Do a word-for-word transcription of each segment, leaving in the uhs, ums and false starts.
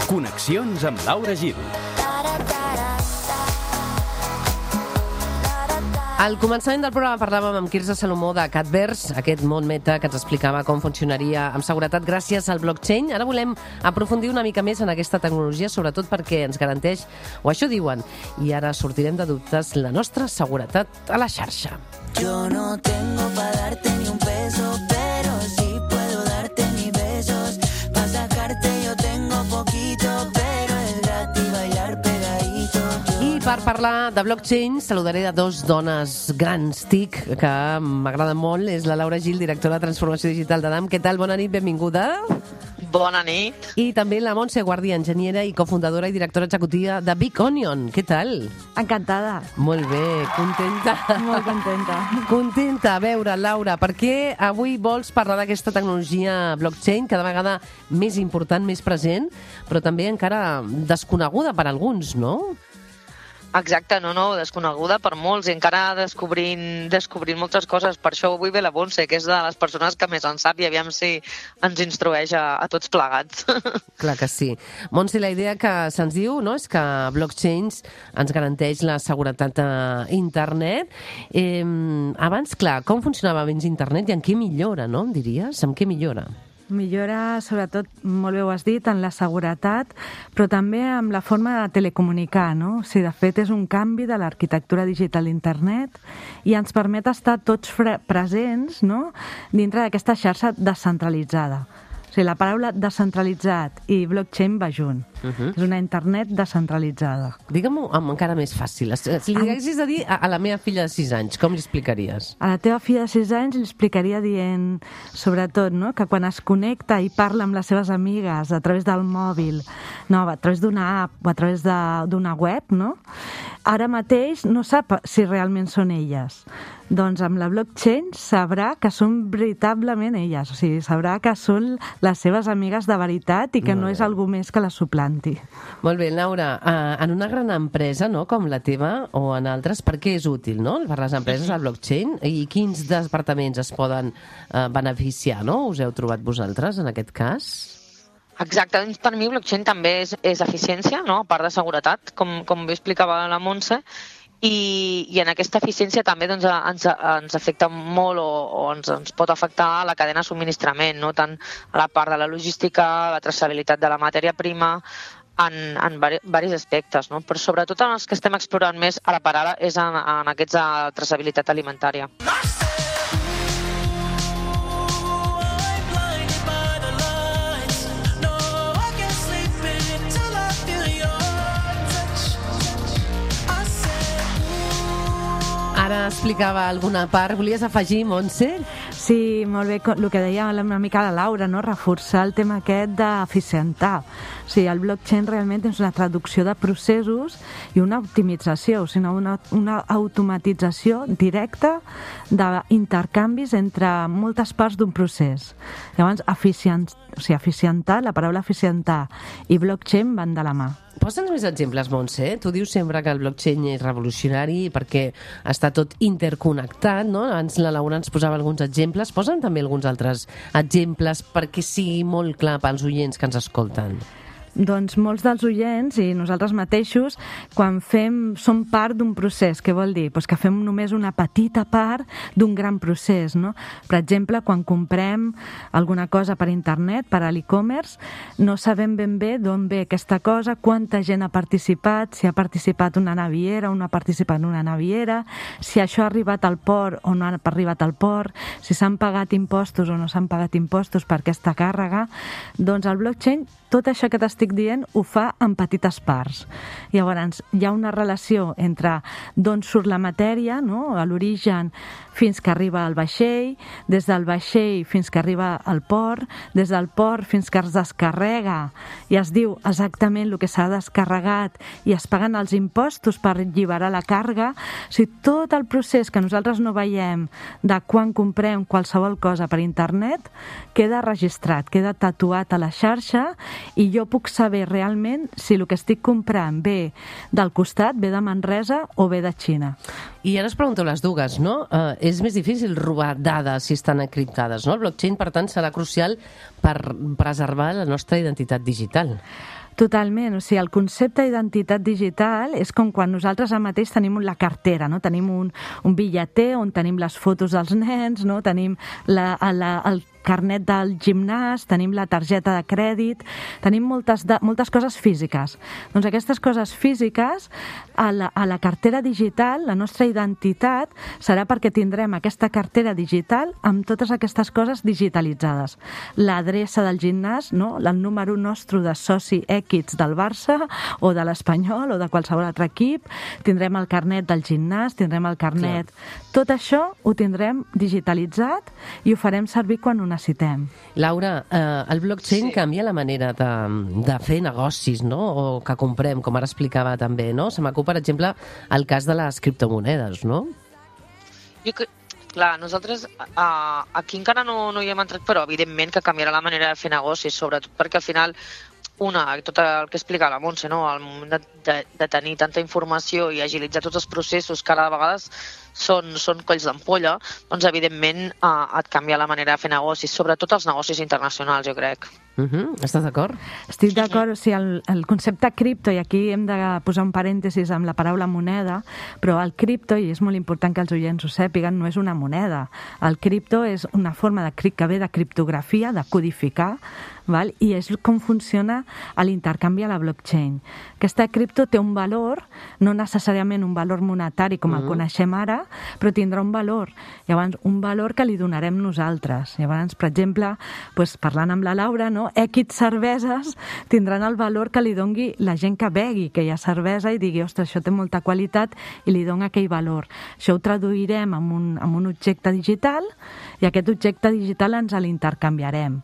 Connexions amb Laura Gil. Al començament del programa parlàvem amb Quirze Salomó de Catverse, aquest món meta que ens explicava com funcionaria amb seguretat gràcies al blockchain. Ara volem aprofundir una mica més en aquesta tecnologia, sobretot perquè ens garanteix, o això diuen, i ara sortirem de dubtes, la nostra seguretat a la xarxa. Yo no tengo pa' darte ni un peso, pero sí puedo darte mis besos. Pa' sacarte yo tengo poquito, pero es gratis bailar pegadito. I per parlar de blockchain saludaré a dos dones grans TIC que m'agraden molt. És la Laura Gil, directora de Transformació Digital d'Adam. Què tal? Bona nit, benvinguda. Bona nit. I també la Montse Guardia, enginyera i cofundadora i directora executiva de Big Onion. Què tal? Encantada. Molt bé, contenta. Molt contenta. Contenta. A veure, Laura, per què avui vols parlar d'aquesta tecnologia blockchain, cada vegada més important, més present, però també encara desconeguda per alguns, no? Exacte, no, no, desconeguda per molts i encara descobrint, descobrint moltes coses. Per això avui ve la Montse, que és de les persones que més en sap i aviam si ens instrueix a, a tots plegats. Clar que sí. Montse, la idea que se'ns diu, no?, és que blockchains ens garanteix la seguretat a internet. Eh, abans, clar, com funcionava abans internet i en què millora, no, em diries? En què millora? Millora, sobretot, molt bé ho has dit, en la seguretat, però també amb la forma de telecomunicar, no? O sigui, de fet, és un canvi de l'arquitectura digital d'internet i ens permet estar tots presents, no?, dintre d'aquesta xarxa descentralitzada. O sigui, la paraula descentralitzat i blockchain va junt. Uh -huh. És una internet descentralitzada. Digue-m'ho amb encara més fàcil. Si li haguessis de dir a, a la meva filla de sis anys, com li explicaries? A la teva filla de sis anys li explicaria dient, sobretot, no?, que quan es connecta i parla amb les seves amigues a través del mòbil, no, a través d'una app o a través d'una web, no?, ara mateix no sap si realment són elles. Doncs amb la blockchain sabrà que són veritablement elles, o sigui, sabrà que són les seves amigues de veritat i que no és algú més que la suplanti. Molt bé, Laura, en una gran empresa, no?, com la teva o en altres, per què és útil, no?, per les empreses el blockchain i quins departaments es poden eh, beneficiar, no? Us heu trobat vosaltres en aquest cas? Exacte, doncs per mi blockchain també és, és eficiència, no?, a part de seguretat, com, com bé explicava la Montse. I, i en aquesta eficiència també doncs, ens, ens afecta molt o, o ens, ens pot afectar la cadena de subministrament, no? Tant a la part de la logística, la traçabilitat de la matèria prima, en, en diversos aspectes, no? Però sobretot en els que estem explorant més ara per ara és en, en aquesta traçabilitat alimentària. Ara explicava alguna part. Volies afegir, Montse? Sí, molt bé, el que deia una mica la Laura, no?, reforçar el tema aquest d'eficientar. O sigui, el blockchain realment és una traducció de processos i una optimització, o sigui, una, una automatització directa d'intercanvis entre moltes parts d'un procés. Llavors, eficient, o sigui, eficientar, la paraula eficientar i blockchain van de la mà. Posa'ns més exemples, Montse. Tu dius sempre que el blockchain és revolucionari perquè està tot interconnectat, no? Abans la Laura ens posava alguns exemples. Posa'm també alguns altres exemples perquè sigui molt clar pels oients que ens escolten. Doncs molts dels oients i nosaltres mateixos, quan fem, som part d'un procés, què vol dir? Pues que fem només una petita part d'un gran procés, no? Per exemple, quan comprem alguna cosa per internet, per a l'e-commerce, no sabem ben bé d'on ve aquesta cosa, quanta gent ha participat, si ha participat una naviera o no ha participat una naviera, si això ha arribat al port o no ha arribat al port, si s'han pagat impostos o no s'han pagat impostos per aquesta càrrega. Doncs el blockchain, tot això que t'estic dient, ho fa en petites parts. Llavors, hi ha una relació entre d'on surt la matèria, no?, a l'origen fins que arriba al vaixell, des del vaixell fins que arriba al port, des del port fins que es descarrega i es diu exactament el que s'ha descarregat i es paguen els impostos per alliberar la càrrega. O sigui, tot el procés que nosaltres no veiem de quan comprem qualsevol cosa per internet queda registrat, queda tatuat a la xarxa i jo puc saber realment si el que estic comprant ve del costat, ve de Manresa o ve de Xina. I ara us pregunto les dues, no? Uh, és més difícil robar dades si estan encriptades, no? El blockchain, per tant, serà crucial per preservar la nostra identitat digital. Totalment, o sigui, el concepte d'identitat digital és com quan nosaltres ara mateix tenim la cartera, no? Tenim un, un bitlleter on tenim les fotos dels nens, no? Tenim la, la, el carnet del gimnàs, tenim la targeta de crèdit, tenim moltes, de, moltes coses físiques. Doncs aquestes coses físiques, a la, a la cartera digital, la nostra identitat serà perquè tindrem aquesta cartera digital amb totes aquestes coses digitalitzades. L'adreça del gimnàs, no? El número nostre de soci X del Barça o de l'Espanyol o de qualsevol altre equip, tindrem el carnet del gimnàs, tindrem el carnet... Clar. Tot això ho tindrem digitalitzat i ho farem servir quan ho necessitem. Laura, eh, el blockchain sí. canvia la manera de, de fer negocis, no? O que comprem, com ara explicava també, no? Se m'acut, per exemple, el cas de les criptomonedes, no? Jo que, clar, nosaltres uh, aquí encara no, no hi hem entrat, però evidentment que canviarà la manera de fer negocis, sobretot perquè al final una, tot el que explica la Montse, no? Al moment de, de, de tenir tanta informació i agilitzar tots els processos que ara de vegades són, són colls d'ampolla, doncs evidentment eh, et canvia la manera de fer negocis, sobretot els negocis internacionals, jo crec. Uh-huh. Estàs d'acord? Estic d'acord, o sigui, el, el concepte cripto, i aquí hem de posar un parèntesis amb la paraula moneda, però el cripto, i és molt important que els oients ho sàpiguen, no és una moneda. El cripto és una forma de, que ve de criptografia, de codificar, val? I és com funciona l'intercanvi a la blockchain. Aquesta cripto té un valor, no necessàriament un valor monetari com el uh-huh. coneixem ara, però tindrà un valor. Llavors, un valor que li donarem nosaltres. Llavors, per exemple, doncs, parlant amb la Laura, no? X cerveses tindran el valor que li dongui la gent que begui, que hi ha cervesa, i digui, ostres, això té molta qualitat, i li dona aquell valor. Això ho traduirem en un, en un objecte digital, i aquest objecte digital ens l'intercanviarem.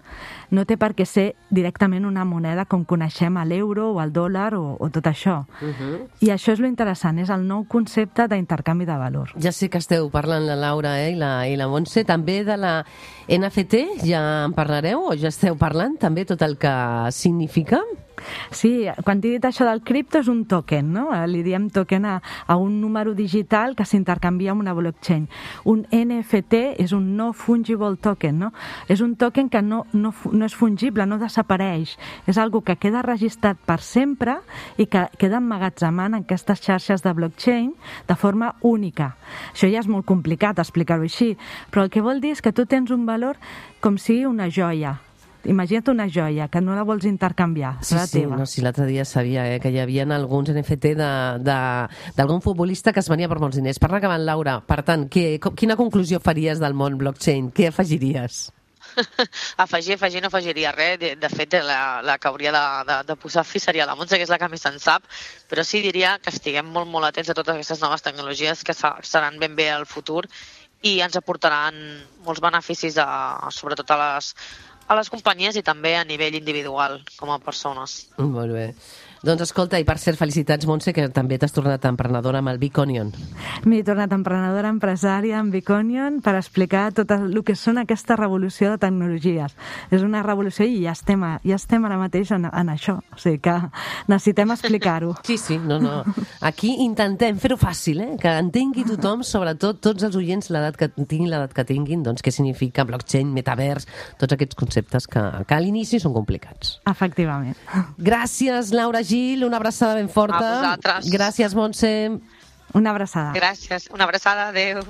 No té per què ser directament una moneda com coneixem a l'euro o al dòlar o, o tot això. Uh-huh. I això és lo interessant, és el nou concepte d'intercanvi de valor. Ja sé que esteu parlant la Laura eh, i, la, i la Montse, també de la N F T, ja en parlareu o ja esteu parlant també tot el que significa? Sí, quan t'he dit això del cripto és un token, no? Li diem token a, a un número digital que s'intercanvia amb una blockchain. Un N F T és un no fungible token, no? És un token que no, no, no és fungible, no desapareix. És algo que queda registrat per sempre i que queda emmagatzemant en aquestes xarxes de blockchain de forma única. Això ja és molt complicat explicar-ho així, però el que vol dir és que tu tens un valor com si una joia. Imagina't una joia, que no la vols intercanviar. Sí, sí, no, sí, l'altre dia sabia eh, que hi havia alguns N F T d'algun futbolista que es venia per molts diners. Parla acabant, Laura. Per tant, què, quina conclusió faries del món blockchain? Què afegiries? afegir, afegir, no afegiria res. De, de fet, la, la que hauria de, de, de posar fi seria la Montse, que és la que més en sap, però sí diria que estiguem molt, molt atents a totes aquestes noves tecnologies que seran ben bé al futur i ens aportaran molts beneficis, a, sobretot a les a les companyies i també a nivell individual, com a persones. Molt bé. Doncs escolta, i per cert, felicitats, Montse, que també t'has tornat emprenedora amb el Biconion. M'he tornat emprenedora, empresària amb Biconion per explicar tot el que són aquesta revolució de tecnologies. És una revolució i ja estem, a, ja estem ara mateix en, en això. O sigui que necessitem explicar-ho. Sí, sí, no, no. Aquí intentem fer-ho fàcil, eh? Que entengui tothom, sobretot tots els oients, l'edat que tinguin, l'edat que tinguin, doncs què significa blockchain, metavers, tots aquests conceptes que, que a l'inici són complicats. Efectivament. Gràcies, Laura Gil, una abraçada ben forta. A vosaltres. Gràcies, Montse. Una abraçada. Gràcies, una abraçada, adeu.